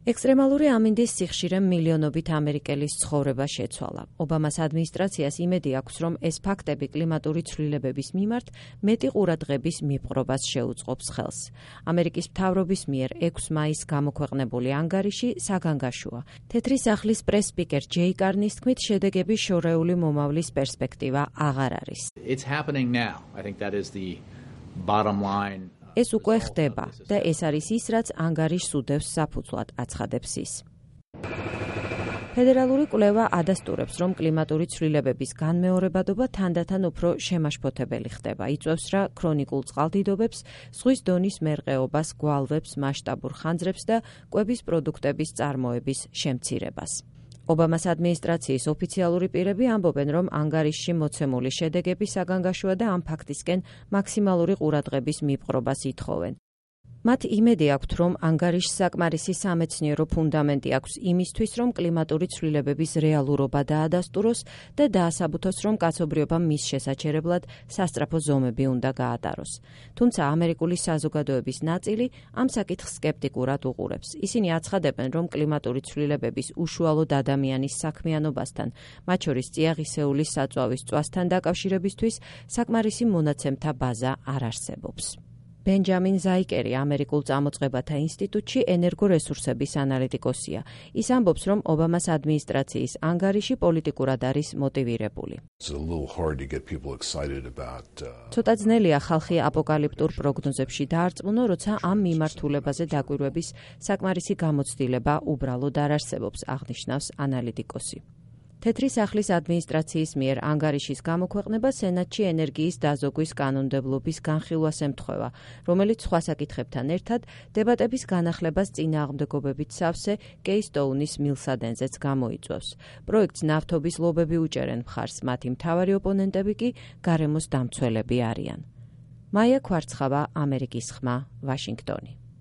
ექსტრემალური ამინდის სიხშირემ მილიონობით ამერიკელის ცხოვრება შეცვალა. ობამას ადმინისტრაციას იმედი აქვს, რომ ეს ფაქტები კლიმატური ცვლილებების მიმართ მეტი ყურადღების მიპყრობას შეუწყობს ხელს. ამერიკის მთავრობის მიერ 6 მაისს გამოქვეყნებული ანგარიში საგანგაშოა. თეთრი სახლის პრეს-სპიკერ ჯეი კარნის თქმით, შედეგები შორეული მომავლის პერსპექტივა აღარ არის. It's happening now. I think that is the bottom line. ეს უკვე ხდება და ეს არის ის, რაც ანგარიშს უდევს საფუძვლად, აცხადებს ის. ფედერალური კვლევა ადასტურებს, რომ კლიმატური ცვლილებების განმეორებადობა თანდათან უფრო შემაშფოთებელი ხდება. იწვევს რა ქრონიკულ წყალდიდობებს, ზღვის დონის მერყეობას, გვალვებს, მასშტაბურ ხანძრებს და კვების პროდუქტების წარმოების შემცირებას. ობამას ადმინისტრაციის ოფიციალური პირები ამბობენ, რომ ანგარიშში მოცემული შედეგები საგანგაშოა და ამ ფაქტისკენ მაქსიმალური ყურადღების მიპყრობას ითხოვენ. მათ იმედი აქვთ, რომ ანგარიშს საკმარისი სამეცნიერო ფუნდამენტი აქვს იმისთვის, რომ კლიმატური ცვლილებების რეალურობა დაადასტუროს და დაასაბუთოს, რომ კაცობრიობამ მის შესაჩერებლად სასწრაფო ზომები უნდა გაატაროს. თუმცა ამერიკული საზოგადოების ნაწილი ამ საკითხს სკეპტიკურად უყურებს. ისინი აცხადებენ, რომ კლიმატური ცვლილებების უშუალოდ ადამიანის საქმიანობასთან, მათ შორის წიაღისეულის საწვავის წვასთან დაკავშირებისთვის საკმარისი მონაცემთა ბაზა არ არსებობს. ბენჯამინ ზაიკერი ამერიკულ წამოწყებათა ინსტიტუტში ენერგორესურსების ანალიტიკოსია. ის ამბობს, რომ ობამას ადმინისტრაციის ანგარიში პოლიტიკურად არის მოტივირებული. ცოტა ძნელია ხალხი აპოკალიპტურ პროგნოზებში დაარწმუნო, როცა ამ მიმართულებაზე დაკვირვების საკმარისი გამოცდილება უბრალოდ არ არსებობს, აღნიშნავს ანალიტიკოსი. თეთრი სახლის ადმინისტრაციის მიერ ანგარიშის გამოქვეყნება სენატში ენერგიის დაზოგვის კანონმდებლობის განხილვას ემთხვევა, რომელიც სხვა საკითხებთან ერთად დებატების განახლებას წინააღმდეგობებით სავსე კეისტოუნის მილსადენზეც გამოიწვევს. პროექტს ნავთობის ლობები უჭერენ მხარს, მათი მთავარი ოპონენტები კი გარემოს დამცველები არიან. მაია ქვარცხავა, ამერიკის ხმა, ვაშინგტონი.